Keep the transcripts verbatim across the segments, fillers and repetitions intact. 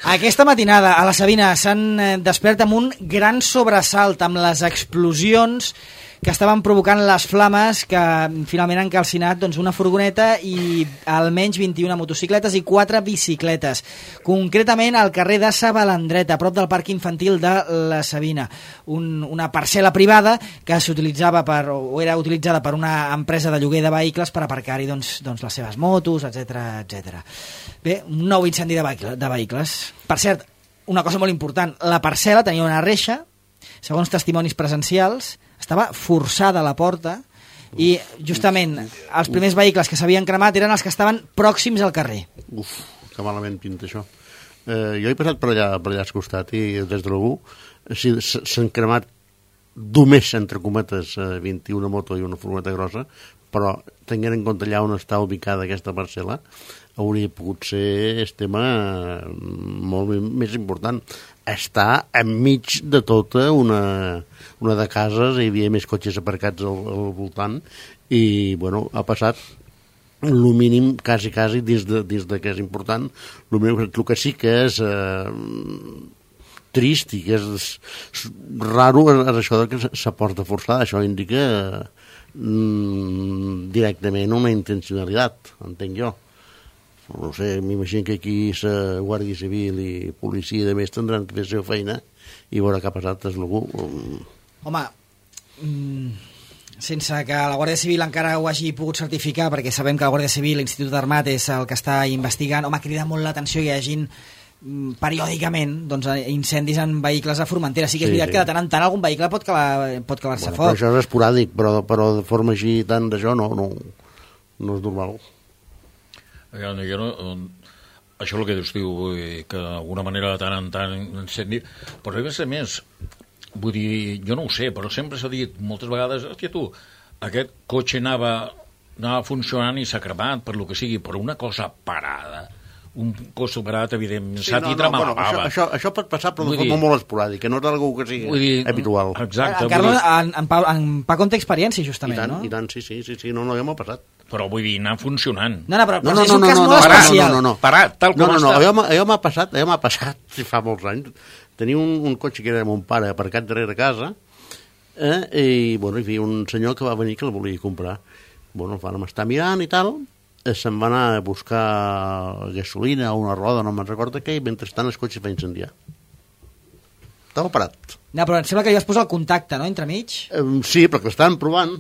Aquesta matinada a la Sabina s'han despert amb un gran sobresalt amb les explosions que estaven provocant les flames que finalment han calcinat doncs, una furgoneta i almenys vint-i-una motocicletes i quatre bicicletes. Concretament al carrer de Sa Balandreta, a prop del parc infantil de la Sabina. Un, una parcel·la privada que s'utilitzava per, o era utilitzada per una empresa de lloguer de vehicles per aparcar-hi doncs, doncs, les seves motos, etcètera etcètera. Bé, un nou incendi de, vehicle, de vehicles. Per cert, una cosa molt important, la parcel·la tenia una reixa, segons testimonis presencials, estava forçada a la porta i justament els primers vehicles que s'havien cremat eren els que estaven pròxims al carrer. Uf, que malament pinta això. Eh, jo he passat per allà, per allà al costat i des de l'U si, s'han cremat només, entre cometes, vint-i-una moto i una furgoneta grossa, però tenint en compte allà on està ubicada aquesta parcel·la, hauria pogut ser el tema molt més important. Està enmig de tota una, una de cases, hi havia més cotxes aparcats al, al voltant i, bueno, ha passat el mínim, quasi, quasi, dins de, dins de que és important, el, mínim, el que sí que és eh, trist i que és raro és això que s'aporta forçada. Això indica mm, directament una intencionalitat, entenc jo. No sé, m'imagino que aquí la Guàrdia Civil i policia de més tindran que fer la seva feina i veure què ha passat és algú. Home, sense que la Guàrdia Civil encara ho hagi pogut certificar, perquè sabem que la Guàrdia Civil, l'Institut d'Armat és el que està investigant, home, crida molt l'atenció que hi hagin periòdicament doncs, incendis en vehicles a Formentera. Sí que és veritat sí, sí. que de tant en tant algun vehicle pot calar, pot calar-se bueno, foc. Però això és esporàdic, però, però de forma així tant d'això no, no, no és normal. Jo no, això és el que dius, tio, que d'alguna manera de tant en tant incendi, però a més a més, vull dir, jo no ho sé, però sempre s'ha dit moltes vegades, hòstia tu, aquest cotxe anava, anava funcionant i s'ha cremat per lo que sigui, però una cosa parada, un cos superat, evidentment, sí, s'ha no, titra no, bueno, això, això, això pot passar, però de forma dir, molt esporàdica, no és algo que sigui dir, habitual. Exacte. En, Carlos, en, en, Pau, en Paco en té experiència, justament, I tant, no? I tant, sí, sí, sí, sí, no, no, ja m'ha passat. Però vull dir, anar funcionant. No, no, però, però no, no, és un no, cas no, molt no, especial. No, no, no, parat, tal com no, no, no, està. Allò, allò m'ha passat, allò m'ha passat, si fa molts anys. Tenia un, un cotxe que era de mon pare aparcat darrere casa, eh, i, bueno, hi havia un senyor que va venir que el volia comprar. Bueno, vam estar mirant i tal, se'n va anar a buscar gasolina o una roda, no me'n recordo què, i mentrestant el cotxe va incendiar. Estava parat. No, però em sembla que ja es posa el contacte, no?, entremig. Eh, sí, perquè l'estaven provant,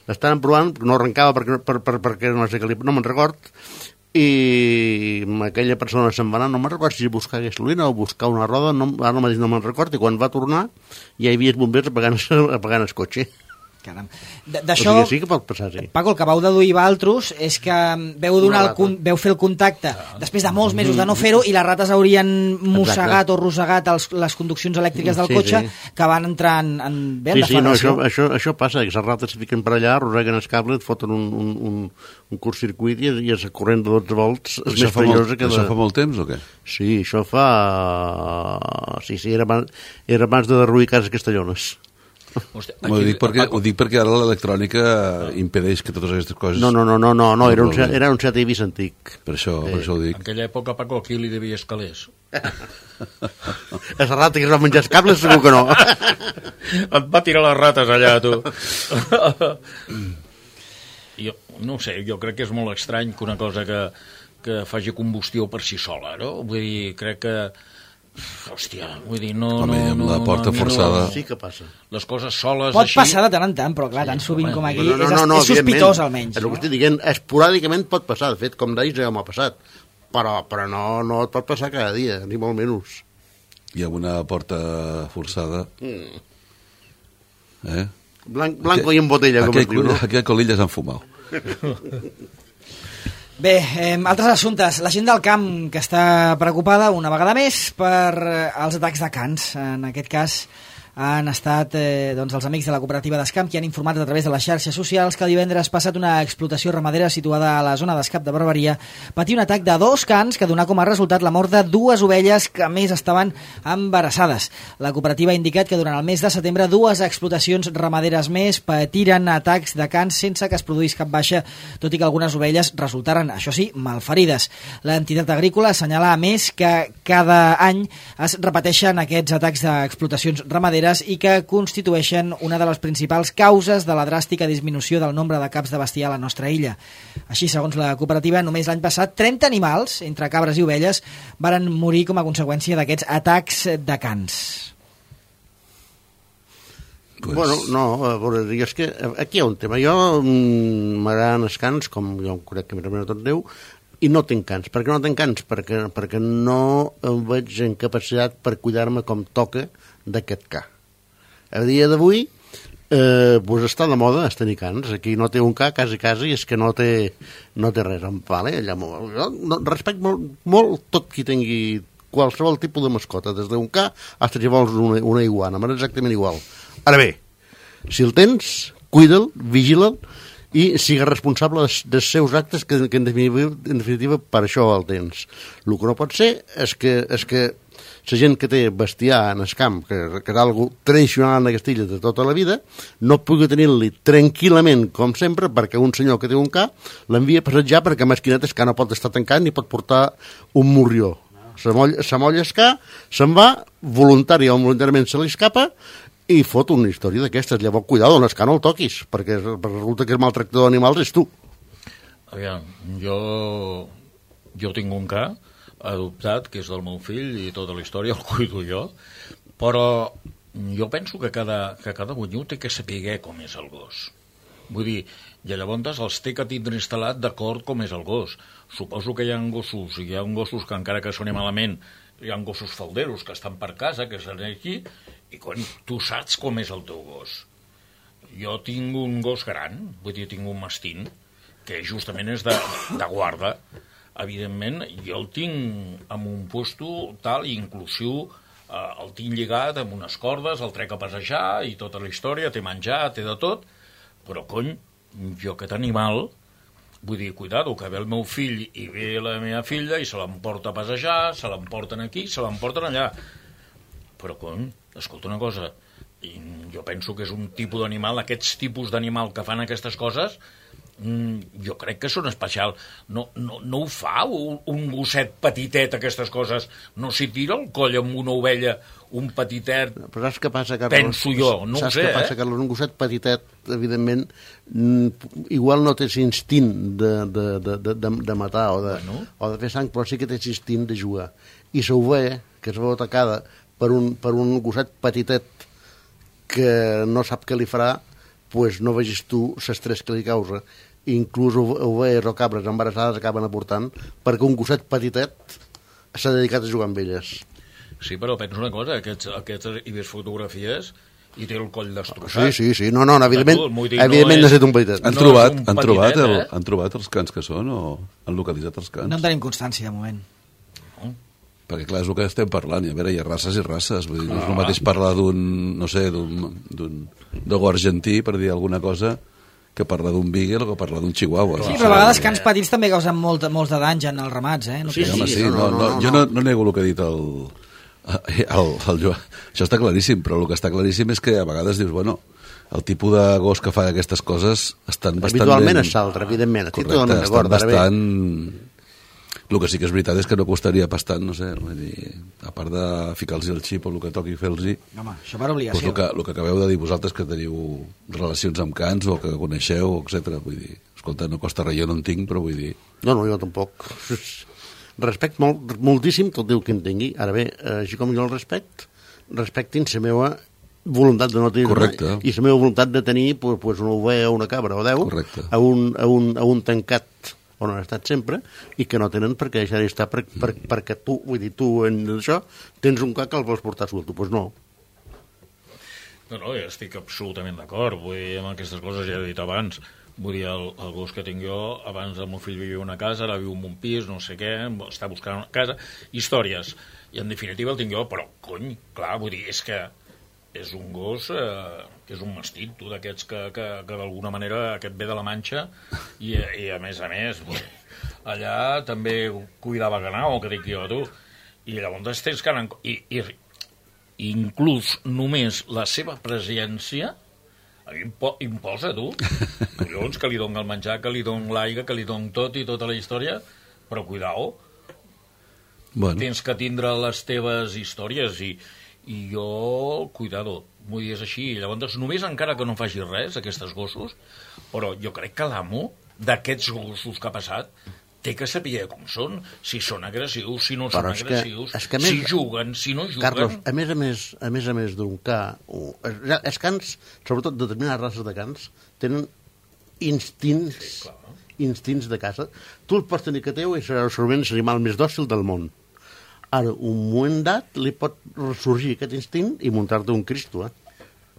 l'estaven provant, no arrencava perquè, per, per, perquè no sé què li, no me'n record, i aquella persona se'n va anar, no me'n record si buscar gasolina o buscar una roda, no, ara mateix no me'n record, i quan va tornar ja hi havia els bombers apagant, apagant el cotxe. Caram. D'això, o sigui, sí que pot passar, sí. Paco, el que vau deduir vosaltres és que veu, donar el, veu fer el contacte després de molts mesos de no fer-ho i les rates haurien mossegat Exacte. o rossegat els, les conduccions elèctriques del sí, cotxe sí. que van entrar en, en bé, sí, en sí, no, això, deflagració. això, això passa, que les rates se fiquen per allà, arrosseguen el cable, et foten un, un, un, un curt-circuit i, i és corrent de dotze volts és més perillosa que... Això fa molt temps o què? Sí, això fa... Sí, sí, era abans, era abans de derruir cases castellones. Hòstia, ho, dic perquè, ho dic perquè ara l'electrònica impedeix que totes aquestes coses... No, no, no, no, no, no era, un, era un Seat Ibis antic. Per això, sí. per això ho dic. En aquella època, Paco, aquí li devia escalers. És la rata que es va menjar els cables, segur que no. Et va tirar les rates allà, tu. Jo, no ho sé, jo crec que és molt estrany que una cosa que, que faci combustió per si sola, no? Vull dir, crec que... Hòstia, vull dir, no... Home, no, amb la no, porta no, forçada... Sí que passa. Les coses soles Pot així... passar de tant en tant, però clar, sí, tan sovint com aquí, no, no, no, no, és, és sospitós almenys. És el que estic dient, esporàdicament pot passar, de fet, com deies, ja m'ha passat, però, però no, no et pot passar cada dia, ni molt menys. Hi ha una porta forçada... Mm. Eh? Blanc, blanco i en botella, com es diu, no? Aquí a Colilla s'han fumat. Bé, eh, altres assumptes. La gent del camp que està preocupada una vegada més per eh, els atacs de cans. En aquest cas, han estat eh, doncs, els amics de la cooperativa d'Escamp que han informat a través de les xarxes socials que divendres passat una explotació ramadera situada a la zona d'Escamp de Barberia patia un atac de dos cans que donà com a resultat la mort de dues ovelles que a més estaven embarassades. La cooperativa ha indicat que durant el mes de setembre dues explotacions ramaderes més patiren atacs de cans sense que es produís cap baixa, tot i que algunes ovelles resultaren, això sí, malferides. L'entitat agrícola assenyala a més que cada any es repeteixen aquests atacs d'explotacions ramaderes i que constitueixen una de les principals causes de la dràstica disminució del nombre de caps de bestiar a la nostra illa. Així, segons la cooperativa, només l'any passat trenta animals, entre cabres i ovelles, varen morir com a conseqüència d'aquests atacs de cans. Pues... Bueno, no, a veure, és que aquí hi ha un tema. Jo m'agraden els cans, com jo crec que més tot Déu, i no tinc cans. Per què no tinc cans? Perquè, perquè no em veig en capacitat per cuidar-me com toca d'aquest ca. A dia d'avui eh, pues està de moda es tenir cans. Aquí no té un ca, quasi quasi, és que no té, no té res. Vale, allà, jo no, respecto molt, molt tot qui tingui qualsevol tipus de mascota, des d'un ca fins si vols una, una iguana, m'és exactament igual. Ara bé, si el tens, cuida'l, vigila'l i sigues responsable dels, dels seus actes, que, que en, definitiva, en definitiva per això el tens. El que no pot ser és que, és que la gent que té bestiar en el camp, que, que és algo tradicional en aquesta illa de tota la vida, no pugui tenir-li tranquil·lament, com sempre, perquè un senyor que té un ca l'envia a passejar perquè mesquinet el ca no pot estar tancant ni pot portar un morrió. Se molla, se molla el ca, se'n va, voluntari o involuntàriament se li escapa i fot una història d'aquestes. Llavors, cuidado, en el ca no el toquis, perquè resulta que el maltractador d'animals és tu. Aviam, jo, jo tinc un ca adoptat, que és del meu fill, i tota la història el cuido jo, però jo penso que cada, que cada bunyut té que saber com és el gos. Vull dir, i llavors els té que tindre instal·lat d'acord com és el gos. Suposo que hi ha gossos, hi ha gossos que encara que soni malament, hi ha gossos falderos que estan per casa, que estan aquí, i quan tu saps com és el teu gos. Jo tinc un gos gran, vull dir, tinc un mastín, que justament és de, de guarda. Evidentment, jo el tinc en un puesto tal, inclusiu, eh, el tinc lligat amb unes cordes, el trec a passejar i tota la història, té menjar, té de tot, però, cony, jo aquest animal, vull dir, cuidado, que ve el meu fill i ve la meva filla i se l'emporta a passejar, se l'emporten aquí, se l'emporten allà. Però, cony, escolta una cosa, jo penso que és un tipus d'animal, aquests tipus d'animal que fan aquestes coses, mm, jo crec que són especial. No, no, no ho fa un, un gosset petitet, aquestes coses. No s'hi tira el coll amb una ovella, un petitet. Però saps què passa, Carlos? Penso jo, no saps ho sé, què passa, eh? Carlos? Un gosset petitet, evidentment, igual no té l'instint de, de, de, de, de matar o de, bueno. o de fer sang, però sí que té l'instint de jugar. I s'ovella, que es veu atacada per un, per un gosset petitet que no sap què li farà, pues no vegis tu l'estrès que li causa. Inclús ovelles o cabres embarassades acaben aportant perquè un gosset petitet s'ha dedicat a jugar amb elles. Sí, però penso una cosa, aquests, aquests hi ves fotografies i té el coll destrossat. Sí, sí, sí, no, no, evidentment, tu, dir, evidentment no és, necessita un petitet. Han, no trobat, un han, petitet, trobat el, eh? han trobat els cans que són o han localitzat els cans? No en tenim constància, de moment. No? Perquè, clar, és el que estem parlant. I a veure, hi ha races i races. Vull dir, no és el mateix parlar d'un, no sé, d'un dogo argentí, per dir alguna cosa, que parlar d'un beagle o que parlar d'un chihuahua. Sí, però a vegades cans petits també causen molt, molts de danys en els ramats, eh? No Sí, Sí, sí, home, sí, no, no, no, no, no, jo no. no, no nego el que ha dit el, el, el Joan. Això està claríssim, però el que està claríssim és que a vegades dius, bueno, el tipus de gos que fa aquestes coses estan bastant Habitualment ben... és l'altre, evidentment. Estic Correcte, totalment estan d'acord. Ara bé, bastant... El que sí que és veritat és que no costaria bastant, no sé, vull dir, a part de ficar-los el xip o el que toqui fer-los-hi, Home, això per doncs obligació. el, que, el que acabeu de dir vosaltres que teniu relacions amb cans o que coneixeu, etcètera. Vull dir, escolta, no costa res, jo no en tinc, però vull dir... no, no, jo tampoc. Respecte molt, moltíssim tot el que en tingui. Ara bé, així com jo el respecte, respectin la meva voluntat de no tenir Correcte. i la meva voluntat de tenir pues, pues una ovella o una cabra o deu Correcte. a un, a, un, a un tancat on han estat sempre i que no tenen per què deixar d'estar per, per, perquè tu, vull dir, tu en això tens un ca que el vols portar suelto, doncs pues no. No, no, jo estic absolutament d'acord. Vull dir, amb aquestes coses ja he dit abans. Vull dir, el, el gos que tinc jo, abans el meu fill vivia en una casa, ara viu en un pis, no sé què, està buscant una casa, històries. I en definitiva el tinc jo, però, cony, clar, vull dir, és que és un gos eh, que és un mastit, tu, d'aquests que, que, que d'alguna manera aquest ve de la Manxa i, i a més a més allà també cuidava ganao, que dic jo, tu, i llavors tens que anar... I, i, i inclús només la seva presència impo, imposa, tu, collons, que li doni el menjar, que li doni l'aigua, que li doni tot i tota la història, però cuidao, bueno. Tens que tindre les teves històries i i jo, cuidado, m'ho dius així, i llavors només encara que no faci res, aquests gossos, però jo crec que l'amo d'aquests gossos que ha passat té que saber com són, si són agressius, si no són agressius, que, que més, si juguen, si no juguen... Carlos, a més a més, a més, a més d'un ca, els cans, sobretot determinades races de cans, tenen instints, instints de caça. Tu el pots tenir que teu i serà segurament l'animal més dòcil del món. Ara, un moment dat, li pot ressorgir aquest instint i muntar-te un Cristo, eh?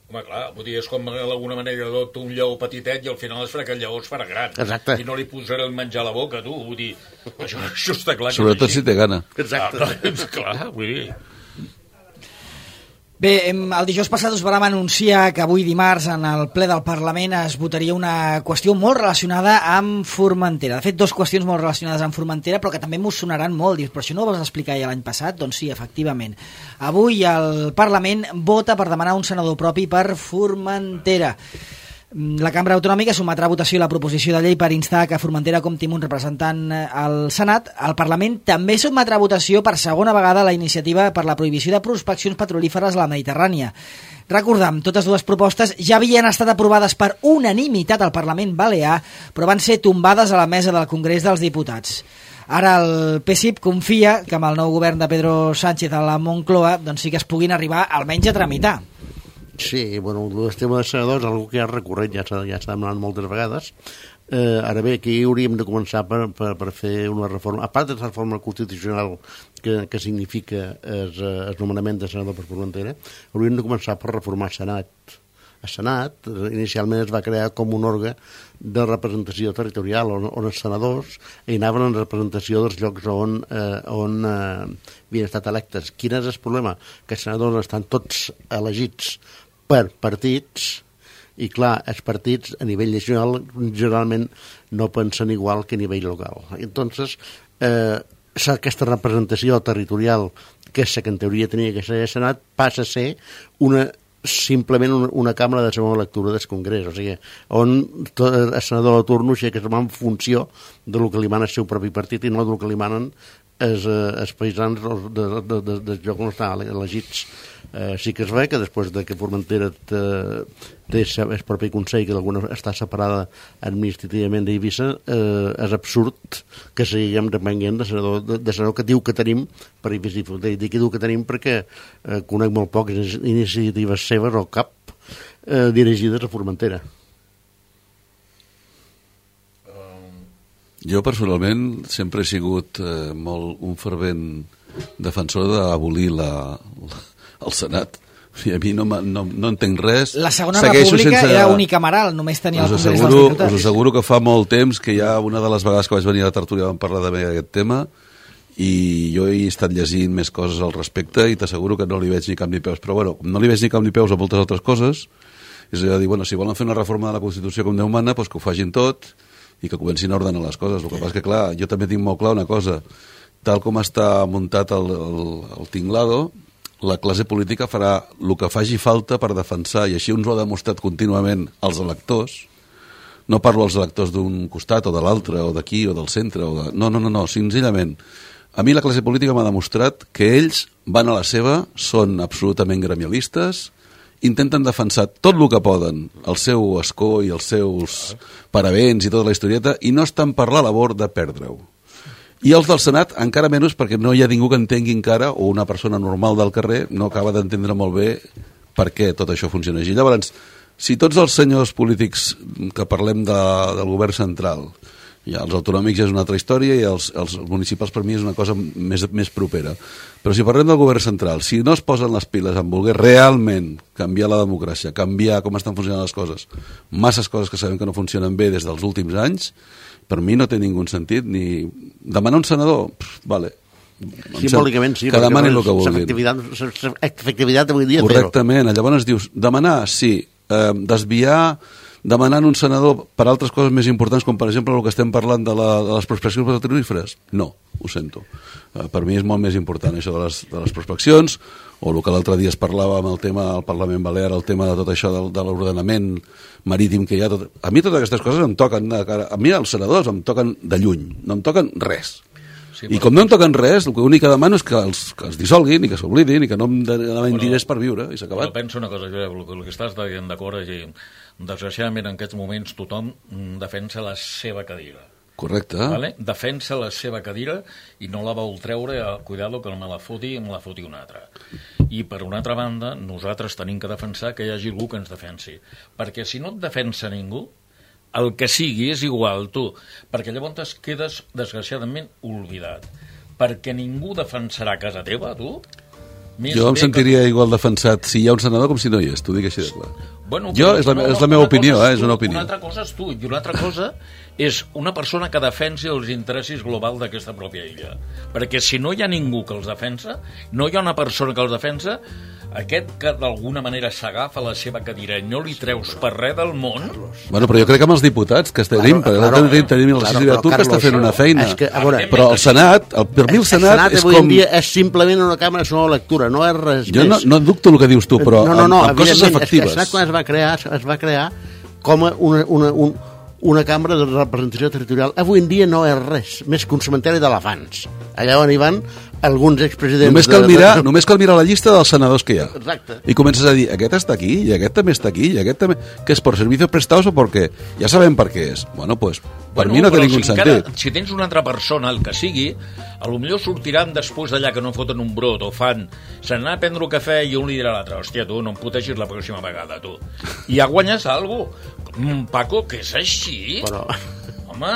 Home, clar, vull dir, és com d'alguna manera adopta un lleó petitet i al final es farà que el lleó es farà gran. Exacte. I no li posarà el menjar a la boca, tu, vull dir, això, això està clar. Sobretot si té gana. Exacte. Ah, clar, vull dir... Bé, el dijous passat us vam anunciar que avui dimarts en el ple del Parlament es votaria una qüestió molt relacionada amb Formentera. De fet, dues qüestions molt relacionades amb Formentera, però que també m'ho sonaran molt. Dius, però això no ho vas explicar ja l'any passat? Doncs sí, efectivament. Avui el Parlament vota per demanar un senador propi per Formentera. La Cambra Autonòmica sometrà a votació la proposició de llei per instar que Formentera compti amb un representant al Senat. El Parlament també sotmetrà a votació per segona vegada la iniciativa per la prohibició de prospeccions petrolíferes a la Mediterrània. Recordem, totes dues propostes ja havien estat aprovades per unanimitat al Parlament Balear, però van ser tombades a la mesa del Congrés dels Diputats. Ara el P S I P confia que amb el nou govern de Pedro Sánchez a la Moncloa doncs sí que es puguin arribar almenys a tramitar. Sí, bueno, el tema de senadors és una que ja recorrent, ja s'ha ja demanat moltes vegades. Eh, ara bé, aquí hauríem de començar per, per, per fer una reforma, a part de la reforma constitucional que, que significa el, el nomenament de senador per Formentera, hauríem de començar per reformar el Senat. El Senat inicialment es va crear com un òrgan de representació territorial on, on els senadors hi anaven en representació dels llocs on, eh, on eh, havien estat electes. Quin és el problema? Que els senadors estan tots elegits per partits i clar, els partits a nivell nacional generalment no pensen igual que a nivell local. Entonces, eh, aquesta representació territorial que és la que en teoria tenia que ser el Senat passa a ser una simplement una, una càmera de segona lectura del Congrés, o sigui, on el senador de torno és que es va en funció del que li mana el seu propi partit i no del que li manen els, els paisans de, de, de, del lloc on estan elegits. Eh, sí que es ve que després de que Formentera té, té el propi Consell, que d'alguna està separada administrativament d'Eivissa, eh, és absurd que seguim depenent de senador, de, de senador que diu que tenim per Eivissa. Dic que diu que tenim perquè eh, conec molt poques iniciatives seves o cap eh, dirigides a Formentera. Jo personalment sempre he sigut eh, molt un fervent defensor d'abolir la, la, el Senat. I a mi no, no, no entenc res. La segona Segueixo república sense... era unicameral, només tenia el Congrés dels Diputats. Us asseguro que fa molt temps que ja una de les vegades que vaig venir a la tertúlia vam parlar també d'aquest tema i jo he estat llegint més coses al respecte i t'asseguro que no li veig ni cap ni peus. Però bueno, no li veig ni cap ni peus a moltes altres coses. És a dir, bueno, si volen fer una reforma de la Constitució com Déu mana, doncs que ho facin tot i que comencin a ordenar les coses. El que passa és que, clar, jo també tinc molt clar una cosa. Tal com està muntat el, el, el tinglado, la classe política farà el que faci falta per defensar, i així ens ho ha demostrat contínuament els electors. No parlo als electors d'un costat o de l'altre, o d'aquí o del centre. O de... No, no, no, no, senzillament. A mi la classe política m'ha demostrat que ells van a la seva, són absolutament gremialistes, intenten defensar tot el que poden, el seu escó i els seus paravents i tota la historieta, i no estan per la labor de perdre-ho. I els del Senat encara menys, perquè no hi ha ningú que entengui encara, o una persona normal del carrer no acaba d'entendre molt bé per què tot això funciona així. Llavors, si tots els senyors polítics que parlem de, del govern central, ja els autonòmics és una altra història i els, els municipals per mi és una cosa més, més propera, però si parlem del govern central, si no es posen les piles en voler realment canviar la democràcia, canviar com estan funcionant les coses, masses coses que sabem que no funcionen bé des dels últims anys, per mi no té ningú sentit ni demanar un senador, pff, vale, Simbòlicament, sí. Que demanin el que vulguin. Efectivitat, efectivitat avui dia. Correctament. Llavors dius, demanar, sí. Eh, desviar, demanant un senador per altres coses més importants, com per exemple el que estem parlant de, la, de les prospeccions petrolíferes? No, ho sento. Eh, per mi és molt més important això de les, de les prospeccions, o el que l'altre dia es parlava amb el tema del Parlament Balear, el tema de tot això del, de l'ordenament marítim que hi ha. Tot... A mi totes aquestes coses em toquen, a mi els senadors em toquen de lluny, no em toquen res. Sí, I com no em toquen res, l'únic que demano és que els, que els dissolguin i que s'oblidin i que no em demanin diners per viure i s'ha acabat. Però penso una cosa, Josep, el que estàs dient d'acord és que desgraciadament en aquests moments tothom defensa la seva cadira. Correcte. Vale? Defensa la seva cadira i no la vol treure, a, cuidado que me la foti i me la foti una altra. I per una altra banda, nosaltres tenim que defensar que hi hagi algú que ens defensi. Perquè si no et defensa ningú, el que sigui és igual, tu, perquè llavors quedes, desgraciadament, oblidat. Perquè ningú defensarà casa teva, tu. Més jo em sentiria que... igual defensat si hi ha un senador com si no hi és, t'ho dic així de clar. Bueno, jo, és la, no, és la meva opinió, eh, és una opinió. Una altra cosa és tu, i una altra cosa és una persona que defensi els interessos globals d'aquesta pròpia illa. Perquè si no hi ha ningú que els defensa, no hi ha una persona que els defensa, aquest que d'alguna manera s'agafa la seva cadira i no li treus per res del món... Bueno, però jo crec que amb els diputats que tenim, claro, perquè claro, tenim, tenim la legislatura que està fent una feina. Que, veure, però el Senat, el, per mi el Senat, el Senat és com... Dia és simplement una càmera de sola lectura, no és res jo més. Jo no, no dubto el que dius tu, però no, no, no, amb, amb coses efectives. El Senat quan es va crear, es va crear com una, una, un, una càmera de representació territorial. Avui en dia no és res, més que un cementeri d'elefants. Allà on hi van alguns expresidents... Només cal, mirar, de... només cal mirar la llista dels senadors que hi ha. Exacte. I comences a dir, aquest està aquí, i aquest també està aquí, i aquest també... Que és per servicios prestados o per què? Ja sabem per què és. Bueno, pues, per bueno, mi no té ningú si sentit. Encara, si tens una altra persona, el que sigui, a lo millor sortiran després d'allà que no foten un brot o fan... Se n'anà a prendre un cafè i un li dirà a l'altre, hòstia, tu, no em putegis la pròxima vegada, tu. I ja guanyes alguna cosa. Paco, que és així? Però... Home,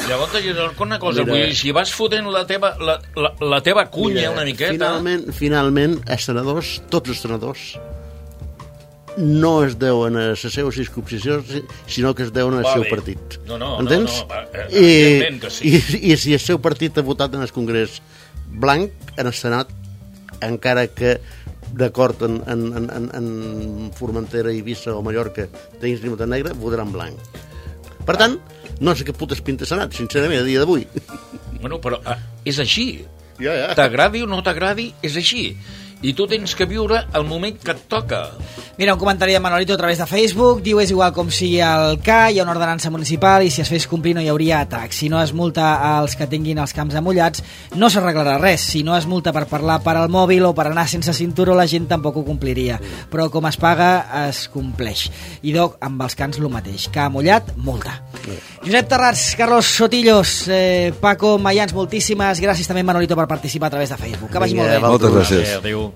llavors una cosa, Mira, vull dir, si vas fotent la teva, la, la, la teva cunya Mira, una miqueta... Finalment, finalment, els senadors, tots els senadors, no es deuen a la seva circumscripció, sinó que es deuen al seu partit. No, no, Entens? no, no, evidentment que sí. I, I si el seu partit ha votat en el Congrés blanc, en el Senat, encara que d'acord en, en, en, en Formentera, Eivissa o Mallorca tinguis llibertat negra, votaran blanc. Per tant, no sé què putes pinta Senat, sincerament, a dia d'avui. Bueno, però ah, és així. Ja, ja. T'agradi o no t'agradi, és així. I tu tens que viure el moment que et toca. Mira, un comentari de Manolito a través de Facebook. Diu, és igual com sigui el K, hi ha una ordenança municipal i si es fes complir no hi hauria atac. Si no es multa als que tinguin els camps amullats, no s'arreglarà res. Si no es multa per parlar per al mòbil o per anar sense cinturó, la gent tampoc ho compliria. Però com es paga, es compleix. I Doc, amb els cans el mateix. K mullat, multa. Josep Terrats, Carlos Sotillos, eh, Paco Mayans, moltíssimes gràcies també Manolito per participar a través de Facebook. Que vagi molt bé. Moltes gràcies. Adéu.